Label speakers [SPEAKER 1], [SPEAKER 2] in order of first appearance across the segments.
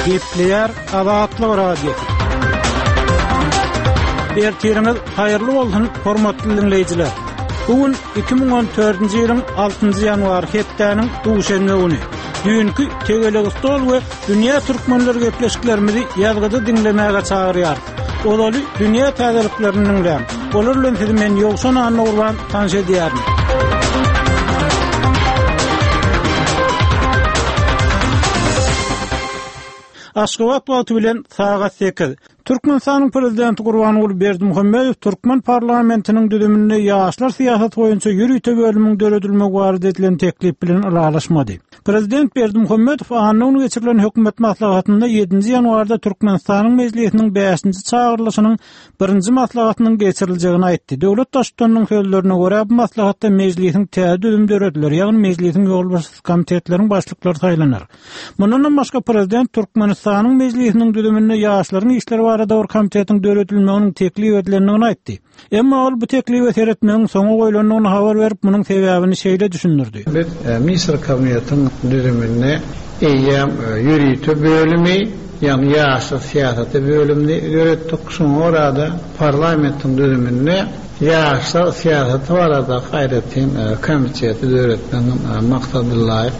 [SPEAKER 1] Gepleýär Azatlyk Radiosy. Ertiriňiz haýyrly bolsun, hormatly diňleýjiler. Bu gün 2014-nji ýylyň 6-njy ýanwary hepdäniň duşenbe güni. Düýnki tegelek stol we dünýä türkmenleri gepleşiklerimizi ýazgyda diňlemäge çagyrýarys. Ozaly dünýä täzeliklerini diňläň. Olar bilen sizi men Ýowşan Annagurban tanyş edýärin. Aşgabat wagty bilen sagat 8. Türkmenistanyň Prezidenti Gurbanguly Berdimuhamedow türkmen parlamentiniň düzüminde ýaşlar syýasaty boýunça ýörite bölümiň döredilmegi barada edilen teklip bilen ylalaşmady. Prezident Berdimuhamedow anna güni geçirilen hökümet maslahatynda ýedinji ýanwarda Türkmenistanyň Mejlisiniň bäşinji çagyrylyşynyň birinji maslahatynyň geçiriljegini aýtdy. Döwlet Baştutanynyň sözlerine görä, bu maslahatda Mejlisiň täze düzümi dörediler, ýagny Mejlisiň ýolbaşçysy, komitetleriň başlyklary saýlanar. Mundanam başga, prezident Türkmenistanyň Mejlisiniň düzüminde ýaşlaryň işleri barada bir komitetiň döredilmeginiň teklip edilendigini aýtdy. Emma ol bu teklibe seretmegiň soňa goýlandygyny habar berip, munuň sebäbini şeýle düşündirdi.
[SPEAKER 2] Biz Ministrler Kabinetiniň düzüminde eýýäm ýörite bölümi, ýagny ýaşlar syýasaty bölümini döretdik. Şoňa görä-de, parlamentiň düzüminde ýaşlar syýasaty baradaky aýratyn komiteti döretmegiň maksadalaýyk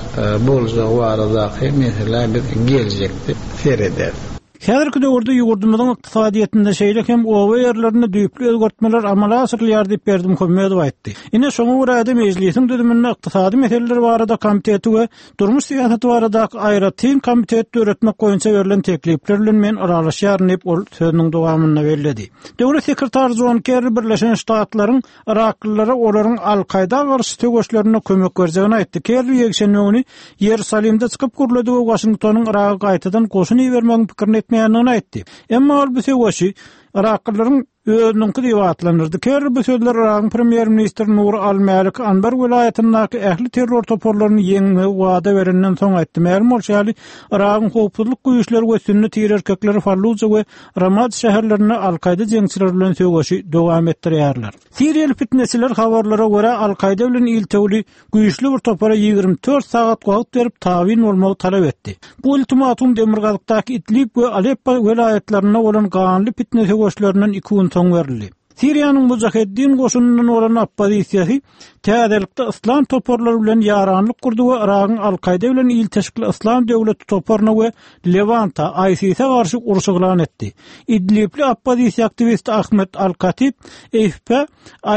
[SPEAKER 2] boljagy baradaky meselä biz geljekde serederis.
[SPEAKER 1] Häzirki döwürde ýurdumyzyň ykdysadyýetinde, şeýle hem oba ýerlerinde düýpli özgertmeler amala aşyrylýar diýip, Berdimuhamedow aýtdy. Ine, şoňa görä-de, Mejlisiň düzüminde Ykdysady meseleler barada komiteti we Durmuş syýasaty baradaky aýratyn komiteti döretmek boýunça berlen teklipler bilen men ylalaşýaryn diýip, ol sözüniň dowamynda belledi. Döwlet sekretary Jon Kerri Birleşen Ştatlaryň Yraklylara olaryň Al-Kaýda garşy söweşlerinde kömek berjegini aýtdy. Kerri ýekşenbe güni Ýerusalimde çykyp gürledi we Waşingtonyň Yraga gaýtadan goşun ibermegiň pikirini etmeýändigini aýtdy. Emma ol bu söweşi yraklylaryň özüniňki diýip atlandyrdy. Kerri bu sözleri Yragyň premýer-ministri Nuri al-Mäliki Anbar welaýatyndaky ähli terror toparlaryny ýeňmegi wada berenden soň aýtdy. Mälim bolşy ýaly, Yragyň howpsuzlyk güýçleri we sünni tire-erkekleri Falluja we Ramadi şäherlerinde Al-Kaýda jeňçileri bilen söweşi dowam etdirýärler. Siriýaly pitneçiler habarlara görä, Al-Kaýda bilen iltewli güýçli bir topara 24 sagat wagt berip tabyn bolmagy talap etdi. Bu ultimatum demirgazykdaky Idlib we Aleppo welaýatlarynda bolan ganly pitne söweşlerinden iki gün soň berildi. Siriýanyň Mujaheddin goşunyndan bolan oppozisiýasy täzelikde yslam toparlary bilen ýaranlyk gurdy we Yragyň Al-Kaýda bilen ilteşikli Yslam döwleti toparyna we Lewanta, ISIS-e garşy uruş yglan etdi. Idlibli oppozisiýa aktiwisti Ahmed Al-Katib AFP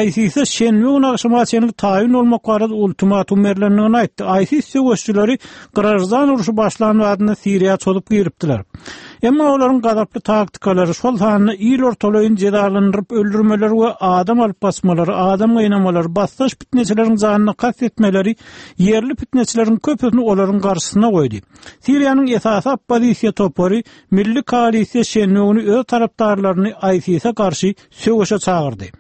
[SPEAKER 1] ISIS-e şenbe güni agşama çenli taýyn bolmak barada ultimatum berlendigini aýtdy. ISIS söweşçileri graždan urşy başlan badyna Siriýa çozup giripdiler. Emma olaryň gazaply taktikalary, şol sanda il ortalaýyn jezalandyryp öldürmeleri we adam alyp gaçmalary, adam gynamalary, basdaş pitneçileriň janyna kast etmeleri ýerli pitneçileriň köpüsini olaryň garşysyna goýdy. Siriýanyň esasy oppozisiýa topary Milli koalisiýa şenbe güni öz tarapdarlaryny ISIS-e garşy söweşe çagyrdy.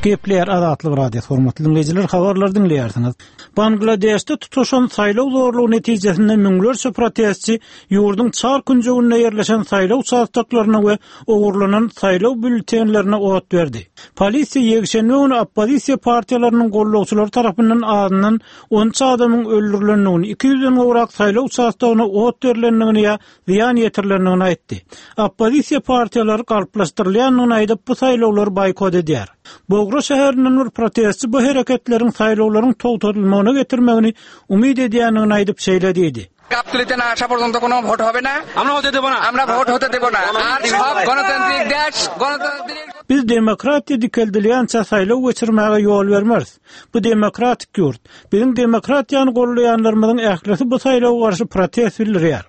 [SPEAKER 1] Gepleýär Azatlyk Radiosy hormatly diňleýjiler habarlary diňleýärsiňiz. Bangladeşde tutaşan saýlaw zorlugy netijesinde müňlerçe protestçi ýurduň çar künjeginde ýerleşen saýlaw uçastoklaryna we ogurlanan saýlaw býulletenlerine ot berdi. Polisiýa ýekşenbe güni oppozisiýa partiýalarynyň gollagçylary tarapyndan azyndan 13 adamyň öldürilendigini, 200-den gowrak saýlaw uçastogyna ot berlendigini ýa zyýan ýetirilendigini aýtdy. Oppozisiýa partiýalary galplaşdyrylýandygyny aýdyp, bu saýlawlary boýkot edýär. Bogra şäherinden bir protestçi bu hereketleriň saýlawlaryň togtadylmagyna getirmegini umyt edýändigini aýdyp, şeýle diýdi. Biz demokratiýa dikeldilýänçä saýlaw geçirmäge ýol bermeris. Bu demokratik ýurt. Biziň demokratiýany goldaýanlarymyzyň ählisi bu saýlawa garşy protest bildirýär.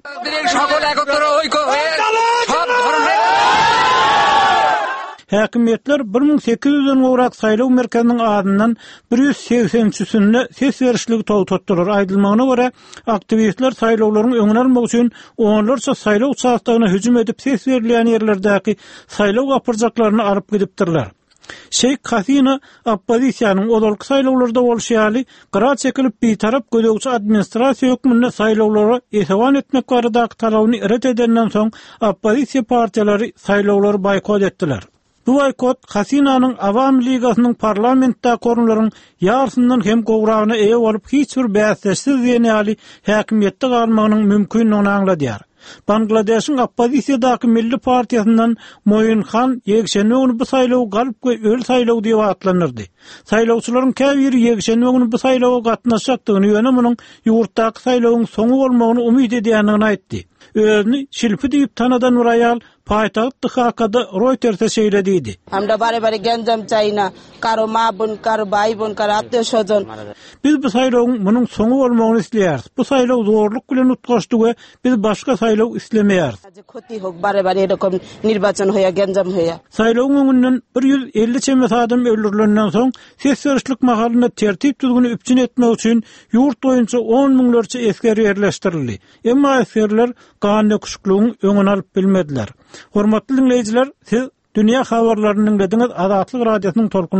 [SPEAKER 1] Häkimiýetler 1800-den gowrak saýlaw merkeziniň azyndan 183-sinde ses berişligi togtatdylar. Aýdylmagyna görä, aktiwistler saýlawlaryň öňüni almak üçin onlarça saýlaw uçastogyna hüjüm edip, ses berilýän ýerlerdäki saýlaw gapyrjaklaryny alyp gidipdirler. Şeýh Hasina oppozisiýanyň ozalky saýlawlarda bolşy ýaly, gyra çekilip bitarap gözegçi administrasiýa hökmünde saýlawlara esewan etmek baradaky talabyny ret edenden soň, oppozisiýa partiýalary saýlawlary boýkot etdiler. Bu boýkot Hasinanyň Awami ligasynyň parlamentdäki orunlaryň ýarysyndan hem gowragyna eýe bolup hiç bir bäsdeşsiz diýen ýaly häkimiýetde galmagynyň mümkindigini aňladýar. Bangladeşiň oppozisiýadaky Milli partiýasyndan Moin Han ýekşenbe güni bu saýlawy galp we öli saýlaw diýip atlandyrdy. Saýlawçylaryň käbiri ýekşenbe güni bu saýlawa gatnaşjakdygyny, ýöne munuň ýurtdaky saýlawyň soňy bolmagyny umyt edýändigini aýtdy. Özüni Şilpi diýip tanadan bir aýal paýtagt Dhakada Roýterse şeýle diýdi. Biz bu saýlawyň munuň soňy bolmagyny isleýäris. Bu saýlaw zorluk bilen utgaşdy we biz başga saýlaw islemeýäris. Saýlawyň öňünden 150 çemesi adam öldürilenden soň, ses berişlik mahalynda tertip-düzgüni üpjün etmek üçin ýurt boýunça on müňlerçe esger ýerleşdirildi. Emma esgerler gandöküşikligiň öňüni alyp bilmediler. Hormatly diňleýjiler, siz dünýä habarlaryny diňlediňiz, Azatlyk Radiosynyň tolkun.